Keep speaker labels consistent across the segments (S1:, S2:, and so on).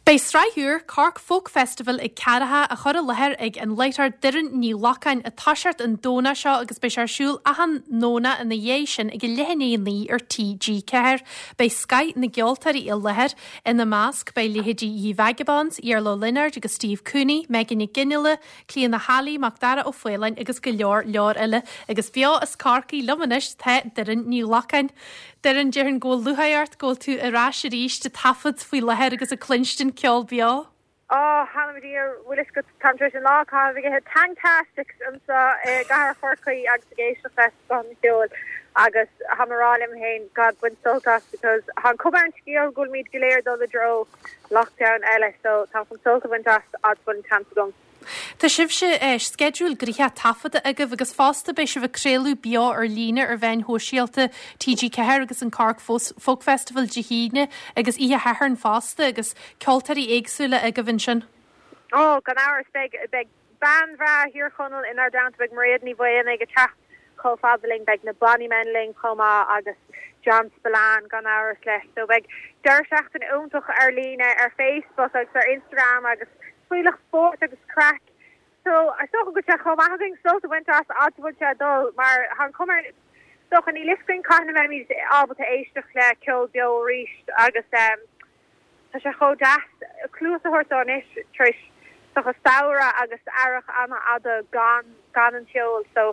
S1: Beidh sraith úr, Cork Folk Festival ag Ceathracha, á chur i láthair ag an láithreoir Doireann Ní Ghlacáin ag toiseacht an Domhnach seo agus beidh sé ar siúl achan nDomhnach ina dhiaidh sin ag a leath i ndiaidh a 9 ar TG4. Beidh scoth na gceoltóirí i láthair. Ina measc beidh leithéidí Ye Vagabonds, Iarla Ó Lionáird agus Steve Cooney, Megan Nic Fhionnghaile, Clíona Halley, Macdara Ó Faoláin agus go leor leor eile. Agus beo as Corcaigh liom anois tá Doireann Ní Ghlacáin. Doireann, déarfainn go bhfuil lúcháir ort go bhfuil tú ar ais arís ag taifead faoi láthair agus ag cluinstin ceol beo.
S2: Ó, th'anam 'mo Dhia, bhfuil fhios agat, táim tar éis an lá a chaitheamh ag ithe Tangtastics anseo i gcathair Chorcaí agus ag éisteacht le scoth an cheoil agus táim ag rá liom féin, God, bain sult as because tá an cuma ar an scéal go bhfuilimid go léir ag dul i dtreo lockdown eile so táim chun sult a bhaint as fhad is bhfuil an chance agam.
S1: Tá sibhse, sceideal gnoitheach taifeadta agaibh agus fosta beidh sibh ag craoladh beo ar líne ar mheáin shóisialta TG4 agus an Cork Folk Festival Dé hAoine agus oíche Shathairn fosta agus ceoltóirí éagsúla agaibh ansin.
S2: Ó, gan amhras, beidh, beidh bean bhreá Thír Chonaill inár dteannta, beidh Mairéad Ní Mhaonaigh ag teacht chomh fada linn, beidh na Bonnymen linn chomh maith agus John Spillane gan amhras leis. So beidh deireadh seachtaine iontach ar líne ar Facebook agus ar Instagram agus fuílleach spóirt agus craic. So, is dócha go bhfuil sé chomh maith againn sult a bhaint as fhad is a bhfuil sé ag dul mar tá an chuma air, is dócha, níl fhios againn cathain a mbeimid ábalta éisteacht le ceol beo arís agus tá sé chomh deas cluas a thabhairt dó anois tar éis is dócha samhradh agus earrach an-fhada gan gan an cheol. So,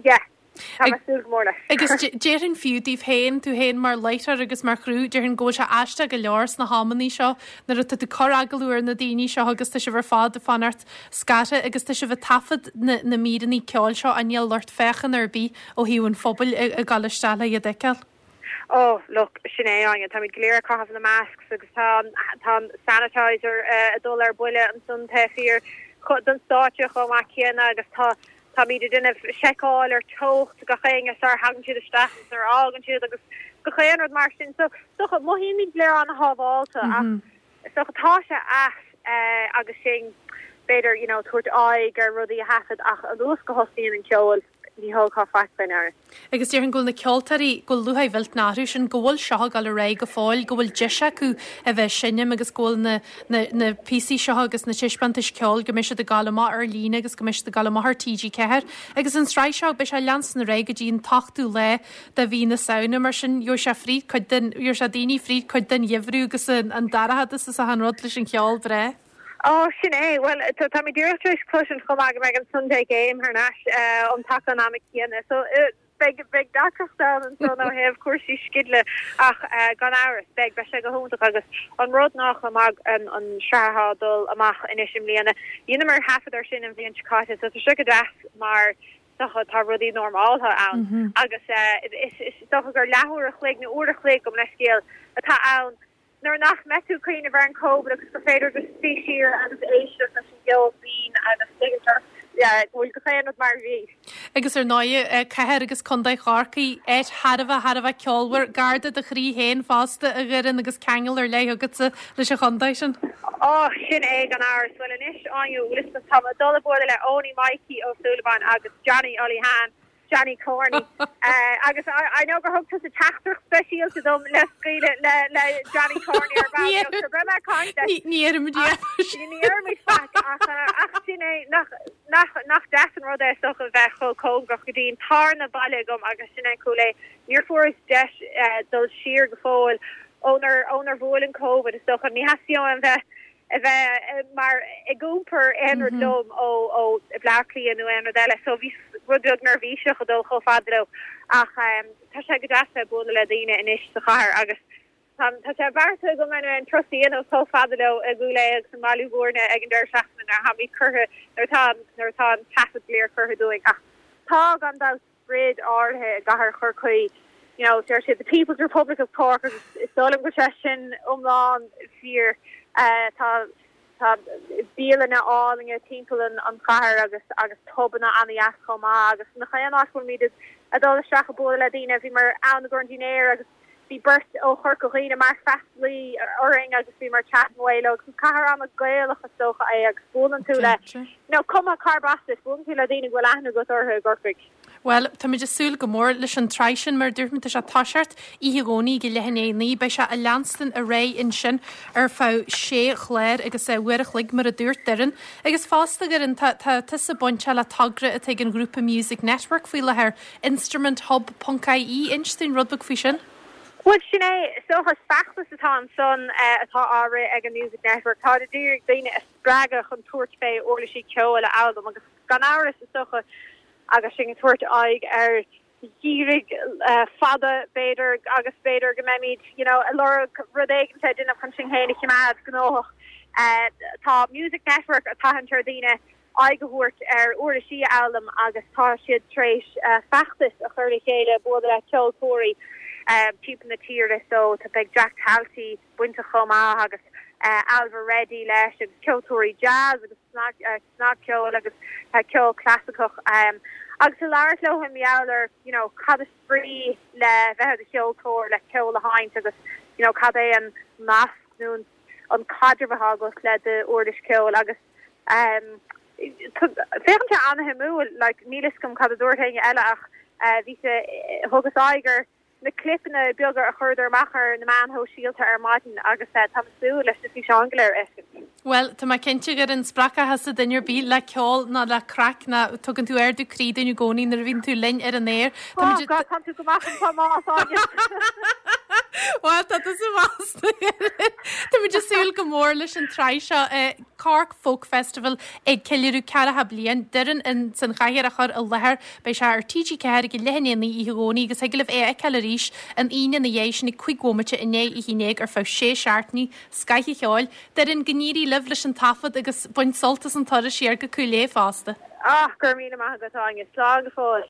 S2: yeah. Tá mé ag súil go mór leis.
S1: Agus déarfainn fiú daoibh féin, tú féin mar láithreoir agus mar chriú, déarfainn go bhfuil sé aisteach go leor sna hamannaí seo nuair atá tú ag cur agallamh ar na daoine seo agus tá sibh ar fad ag fanacht scartha agus tá sibh ag taifead na na míreanna ceoil seo ach níl lucht féachana ar bith ó thaobh an phobail ag dul isteach le iad a fheiceáil.
S2: Oh, look, sin é, Áine, táimid go léir ag caitheamh na masks agus tá an, tá an sanitizer ag dul ar buile ansan taobh thiar den stáitse chomh maith céanna agus tá, Táimid ag déanamh seiceáil ar teocht gach éinne sar thagann siad isteach agus nuair a fhágann siad agus gach aon rud mar sin. So is dócha, mothaímid go léir an-shábháilte ach is dócha tá sé ait agus sinn b'fhéidir you know tabhairt aghaidh ar rudaí a thaifead ach anuas go thosaíonn an ceol ní thógfá faic faoi ndeara.
S1: Agus déarfainn go bhfuil na ceoltóirí, go bhfuil lúcháir mhillteanach orthu sin, go bhfuil seo ag dul ar aghaidh go fóill, go bhfuil deis acu a bheith ag seinm agus go bhfuil na, na, na píosaí seo agus na taispeántais ceoil, go mbeidh siad ag gabháil amach ar líne agus go mbeidh siad ag gabháil amach ar TG4. Agus an tsraith seo, beidh sé ag leanstan ar aghaidh go dtí an t-ochtú lá de mhí na Samhna, mar sin gheobhaidh sé fríd cuid den, gheobhaidh sé daoine fríd cuid den gheimhreadh agus an, an dorchadas is achan rud leis an cheol breá.
S2: Ó, sin é. Bhuel, táimid díreach tar éis cloisint chomh maith go mbeidh an Sunday Game thar n-ais um taca an ama céanna. So, beidh, beidh deacracht ann ansan ó thaobh cúrsaí sceidle ach gan amhras, beidh, beidh sé go hiontach agus an rud ná chomh maith an, an sraith atá ag dul amach anois i mbliana, dheineamar taifead ar sin an bhliain seo caite so tá sé go deas mar dócha tá rudaí normáltha ann agus is, is dócha gur leathuair a chloig nó uair a chloig gabh mo leithscéal atá ann Nuair nach mbeidh tú ag cuimhneamh ar an Covid agus gur féidir just suí siar agus éisteacht leis an gceol binn agus tuigeann tú go bhfuil gach aon rud mar a bhí.
S1: Agus ar ndóighe, cathair agus contae Chorcaí, áit thar a bheith, thar a bheith ceolmhar, gar do do chroí féin fosta, a Dhoireann, agus ceangal ar leith agatsa leis an chontae sin.
S2: Ó, sin é gan amhras. Bhuel anois, Áine, bhfuil fhios agat, táim ag dul a bualadh le Eoiní Mikey Ó Súilleabháin agus Johnny Ollie Han Johnny Corney. Agus I know gur thug tusa teachtaireacht speisialta dom le scaoileadh le le Johnny Corney ar ball beag so beidh mé ag caint leis.
S1: Ní dhéarfaimid
S2: ach ní dhéarfaimid faic ach ach sin é nach nach nach deas an rud é is dócha bheith chomh cóngarach go dtí an tarna baile agam agus sin é Cúil Aodha. Níor fuaireas deis dul siar go fóill ónar ónar bhuail an Covid is dócha. Ní theastaíonn uaim bheith a bheith mar ag iompar aon rud liom ó ó Bhleá Cliath nó aon rud eile so bhí rud beag neirbhíseach ag dul chomh fada leo ach tá sé go deas bheith ag bualadh le daoine anois sa chathair agus tá tá sé beartaithe agam anyway an turas a dhéanamh chomh fada leo i gCúil Aodha agus i mBaile Bhúirne ag an deireadh seachtaine nuair atá curtha nuair atá nuair atá an taifead go léir curtha dúinn ach tá gan dabht sprid áirithe i gcathair Chorcaí. You know, deir siad the People's Republic of Cork agus is dóigh liom go bhfuil sé sin iomlán fíor. Tá tá bialanna álainne timpeall an an chathair agus agus pubanna an-dheas chomh maith agus nach aon áit go bhfuilimid ag dul isteach ag bualadh le daoine. Bhíomar ann i gcomhair an dinnéir agus bhí beirt ó Chorca Dhuibhne mar freastalaí orainn agus bhíomar chatting away leo agus is cathair an-Ghaelach is dócha é agus buaileann tú le, you know, cuma cárb as duit, buaileann tú le daoine go bhfuil aithne agat orthu i gCorcaigh.
S1: Bhuel, táimid ag súil go mór leis an tsraith sin, mar a dúirt mé, tá sé ag toiseacht oíche Dhomhnaigh ag leath i ndiaidh a 9. Beidh sé ag leanstan ar aghaidh ansin ar feadh sé chlár agus uair a chloig, mar a dúirt Doireann. Agus fosta, a Dhoireann, tá tá tusa bainteach le togra atá ag an ghrúpa Music Network faoi láthair, instrumenthub ponc ie. Inis dúinn rud beag faoi sin.
S2: Bhuel, sin é, is dócha, is feachtas atá ansan atá á rith ag an Music Network. Táid ag iarraidh daoine a spreagadh chun tabhairt fé uirlisí ceoil a fhoghlaim agus gan amhras, is dócha, agus sinn ag tabhairt aghaidh ar gheimhridh fada, b'fhéidir, agus b'fhéidir go mbeimid, you know, ag lorg rud éigin le déanamh chun sinn féin a choimeád gnóthach. Tá Music Network ag tathant ar dhaoine aghaidh a thabhairt ar uirlisí a fhoghlaim agus tá siad tar éis feachtas a chur le chéile, bualadh le ceoltóirí timpeall na tíre so tá, beidh Jack Talty bainteach chomh maith agus Ailbhe Reddy leis agus ceoltóirí jazz agus snagcheoil agus ceol clasaiceach agus ag labhairt leo i ngeall ar you know cad is brí le bheith i do cheoltóir, le ceol a sheinnt agus you know cad é an nasc nó an caidreamh atá agat le d'uirlis ceoil agus féachann sé an-shuimiúil like níl fhios agam cad a dúirt éinne eile ach bhí sé thugas aghaidh ar na clipeanna beaga a chuireadar amach ar na meáin shóisialta ar maidin agus táim ag súil leis na físeáin go léir a fheiscint.
S1: Bhuel, tá mé cinnte gur an spreagfadh thusa duine ar bith le ceol ná le craic ná tugann tú ardú croí dúinn i gcónaí nuair a bhíonn tú linn ar an aer.
S2: Tá Oh God, tá tú go maith an tá más Áine.
S1: Bhuel, tá tusa maith. Táimid ag súil go mór leis an tsraith seo. Cork Folk Festival ag ceiliúradh ceathracha bliain. Doireann ins an chathaoir á chur i láthair. Beidh sé ar TG4 ag a leath i ndiaidh a 9 oíche Dhomhnaigh agus thig libh é a fheiceáil arís an Aoine ina dhiaidh sin ag 5 bhomaite i ndiaidh a 11 ar feadh sé seachtainí. Scoth an cheoil. Doireann, go n-éirí libh leis an taifead agus bain sult as an turas siar go Cúil Aodha fosta.
S2: Ah, go raibh míle maith agat, Áine. Slán go fóill.